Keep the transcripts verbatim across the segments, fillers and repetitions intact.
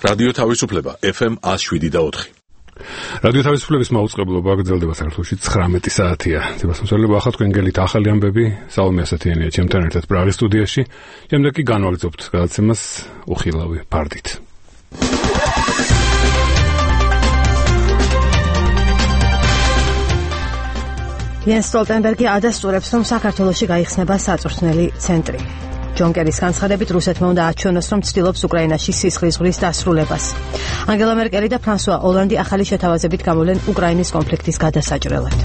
რადიო თავისუფლება ეფ ემ one oh seven და four. რადიო თავისუფლების მაუწყებლობა გრძელდება საქართველოში ცხრამეტი საათია. ძებასმსვლელობა ახლა თქვენ გელით ახალი ამბები, სალომე ასათიანია ჩემთან ერთად პრაღის სტუდიაში. შემდეგ კი განვალიძობთ გადაცემას უხილავი ფარდით. იენს სტოლტენბერგი ადასტურებს, რომ საქართველოში გაიხსნება საწვრთნელი ცენტრი. ჯონ კერის განცხადებით რუსეთმა უნდა აჩვენოს, რომ ცდილობს უკრაინაში სისხლის ზღვრის დასრულებას. ანგელა მერკელი და ფრანსუა ოლანდი ახალი შეთავაზებით გამოვლენ უკრაინის კონფლიქტის გადასაჭრელად.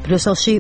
ბრიუსელში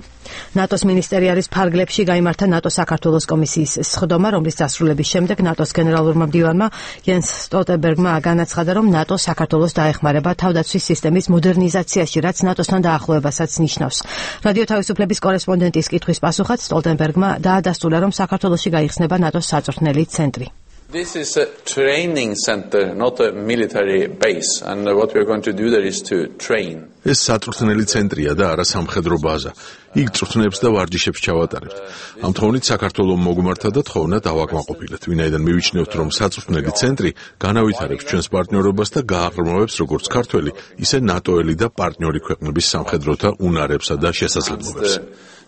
ნატოს მინისტერიალის ფარგლებში გაიმართა ნატოს საქართველოს კომისიის სხდომა, რომლის დასრულების შემდეგ ნატოს გენერალურმა მდივანმა იენს სტოლტენბერგმა განაცხადა, რომ ნატო საქართველოს დაეხმარება თავდაცვის სისტემის მოდერნიზაციაში, რაც ნატოსთან დაახლოებასაც ნიშნავს. რადიო თავისუფლების კორესპონდენტის კითხვის პასუხად სტოლტენბერგმა დაადასტურა, რომ საქართველოში გაიხსნება ნატოს საწვრთნელი ცენტრი. This is a training center, not a military base, and what we are going to do there is to train. ეს საწვრთნელი ცენტრია და არა სამხედრო ბაზა. იქ წვრთნებს და ვარჯიშებს ჩავატარებთ. ამ თხოვნით საქართველოს მოგმართა და თხოვნა დავაკმაყოფილეთ, ვინაიდან მივიჩნევთ, რომ საწვრთნელი ცენტრი განავითარებს ჩვენს პარტნიორობას და გააღრმავებს როგორც ქართველი, ისე ნატოელი და პარტნიორი ქვეყნების სამხედროთა უნარებსა და შესაძლებლობებს.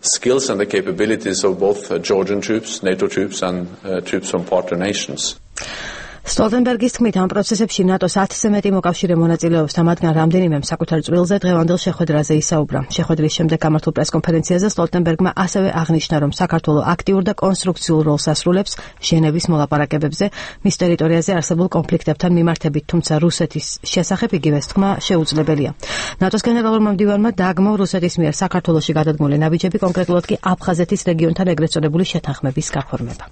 Skills and the capabilities of both uh, Georgian troops, NATO troops and uh, troops from partner nations. სტოლტენბერგის თქმით, ამ პროცესებში ნატოს ათზე მეტი მოკავშირე მონაწილეობს და მათგან რამდენიმემ საკუთარ წვრილზე დღევანდელ შეხვედრაზე ისაუბრა. შეხვედრის შემდეგ გამართულ პრესკონფერენციაზე სტოლტენბერგმა ასევე აღნიშნა, რომ საქართველო აქტიურ და კონსტრუქციულ როლს ასრულებს ჟენევის მოლაპარაკებებზე მის ტერიტორიაზე არსებულ კონფლიქტებთან მიმართებით, თუმცა რუსეთის შესახებ იგივეს თქმა შეუძლებელია. ნატოს გენერალურმა მდივანმა დააგმო რუსეთის მიერ საქართველოში გადადგმული ნაბიჯები, კონკრეტულად კი აფხაზეთის რეგიონთან ეგრეთ წოდებული შეთანხმების გაფორმება.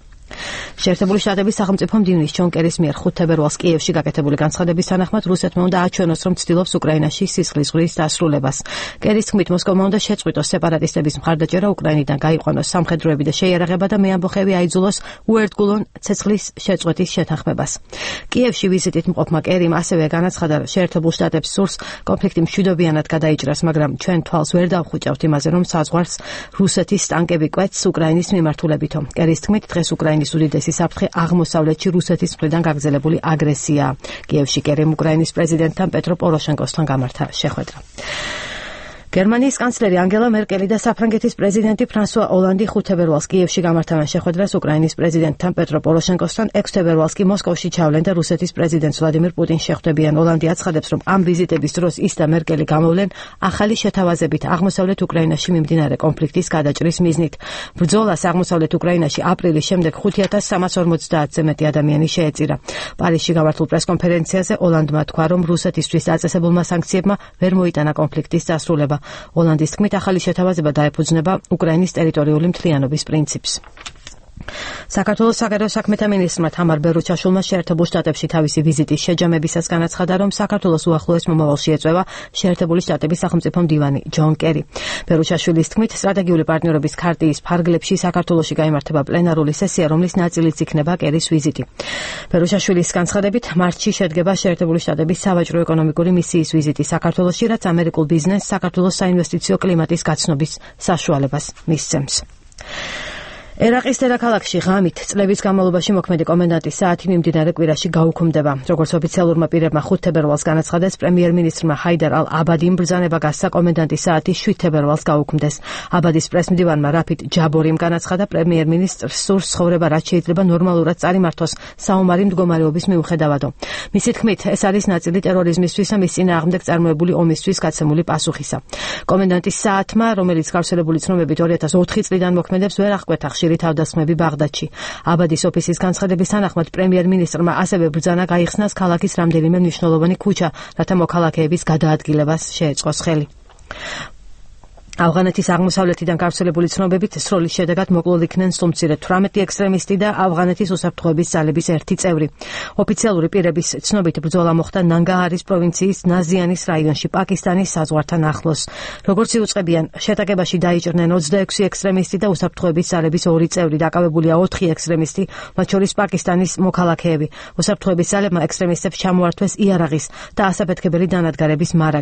შეერთებული შტატების სახელმწიფო მდივნის ჯონ კერის მიერ ხუთ თებერვალს კიევში გაკეთებული განცხადების თანახმად რუსეთმა უნდა აჩვენოს, რომ ცდილობს უკრაინაში სისხლის ზღვრის დასრულებას. კერის თქმით, მოსკოვმა უნდა შეწყვიტოს სეპარატისტების მხარდაჭერა, უკრაინიდან გაიყვანოს სამხედროები და შეიარაღება და მეამბოხეები აიძულოს უერთგულონ ცეცხლის შეწყვეტის შეთანხმებას. კიევში ვიზიტით მყოფმა კერიმ ასევე განაცხადა, შეერთებულ შტატებს სურს კონფლიქტი მშვიდობიანად გადაიჭრას, მაგრამ ჩვენ თვალს ვერ დავხვიჭავთ იმაზე, რომ საზღვარს რუსეთის ტანკები კვეთს უკრაინის მიმართულებითო. კერის თქმით, დღეს უკრაინის უდიდესი საფრთხე აღმოსავლეთში რუსეთის მხრიდან გაგრძელებული აგრესია. კიევში კერიმ უკრაინის პრეზიდენტთან პეტრო პოროშენკოსთან გამართა შეხვედრა. გერმანიის კანცლერი ანგელა მერკელი და საფრანგეთის პრეზიდენტი ფრანსუა ოლანდი ხუთ თებერვალს კიევში გამართავენ შეხვედრას უკრაინის პრეზიდენტთან პეტრო პოროშენკოსთან, ექვსი თებერვალს კი მოსკოვში ჩავლენ და რუსეთის პრეზიდენტს ვლადიმირ პუტინს შეხვდებიან. ოლანდი აცხადებს, რომ ამ ვიზიტების დროს ის და მერკელი გამოვლენ ახალი შეთავაზებით აღმოსავლეთ უკრაინაში მიმდინარე კონფლიქტის გადაჭრის მიზნით. ბრძოლას აღმოსავლეთ უკრაინაში აპრილის შემდეგ ხუთი ათას სამას ორმოცდაათზე მეტი ადამიანი შეეწირა. პარიზში გამართულ პრესკონფერენციაზე ოლანდმა თქვა, რომ რუსეთისთვის დაწესებულმა სანქციებმა ვერ მოიტანა კონფლიქტის დასრულება. ოლანდის თქმით, ახალი შეთავაზება დაეფუძნება უკრაინის ტერიტორიული მთლიანობის პრინციპს. საქართველოს საგარეო საქმეთა მინისტრმა თამარ ბერუჩაშვილმა შეერთებულ შტატებში თავისი ვიზიტის შეჯამებისას განაცხადა, რომ საქართველოს უახლოეს მომავალში ეწევა შეერთებული შტატების სახელმწიფო მდივანი ჯონ კერი. ბერუჩაშვილის თქმით, სტრატეგიული პარტნიორობის ქარტიის ფარგლებში საქართველოში გაიმართება პლენარული სესია, რომლის ნაწილიც იქნება კერის ვიზიტი. ბერუჩაშვილის განცხადებით, მარტში შედგება შეერთებული შტატების სავაჭრო-ეკონომიკური მისიის ვიზიტი საქართველოში, რაც ამერიკულ ბიზნესს საქართველოს საინვესტიციო კლიმატის გაცნობის საშუალებას მისცემს. ერაყის დედაქალაქში ღამით წლების განმავლობაში მოქმედი კომენდანტის საათი მიმდინარე კვირაში გაუქმდება. როგორც ოფიციალურმა პირებმა ხუთ თებერვალს განაცხადეს, პრემიერ-მინისტრმა ჰაიდარ ალ-აბადიმ ბრძანება გასცა კომენდანტის საათი შვიდ თებერვალს გაუქმდეს. აბადის პრესმდივანმა რაფიდ ჯაბორიმ განაცხადა, პრემიერ-მინისტრს სურს ცხოვრება, რაც შეიძლება ნორმალურად წარიმართოს საომარი მდგომარეობის მიუხედავადო. მისი თქმით, ეს არის ნაწილი ტერორიზმისთვის და მის წინააღმდეგ წარმოებული ომისთვის გაცემული პასუხისა. კომენდანტის საათმა, რომელიც გავრცელებული ცნობებით ორი ათას ოთხი წლიდან მოქმედებს, ვერ აღკვეთა ხშირი თავდასხმები ბაღდადში. აბადის ოფისის განცხადების თანახმად პრემიერ-მინისტრმა ასევე ბრძანა გაიხსნას ქალაქის რამდენიმე მნიშვნელოვანი ქუჩა, რათა მოქალაქეების გადაადგილებას შეეწყოს ხელი. ავღანეთის აღმოსავლეთიდან გავრცელებული ცნობებით სროლის შედეგად მოკლულ იქნენ სულ-მცირე თვრამეტი ექსტრემისტი და ავღანეთის უსაფრთხოების ძალების ერთი წევრი. ოფიციალური პირების ცნობით ბრძოლა მოხდა ნანგაჰარის პროვინციის ნაზიანის რაიონში, პაკისტანის საზღვართან ახლოს. როგორც იუწყებიან, შეტაკებაში დაიჭრნენ ოცდაექვსი ექსტრემისტი და უსაფრთხოების ძალების ორი წევრი, დაკავებულია ოთხი ექსტრემისტი, მათ შორის პაკისტანის მოქალაქეები. უსაფრთხოების ძალებმა ექსტრემისტებს ჩამოართვეს იარაღის და ასაფეთქებელი დანადგარების მარაგი.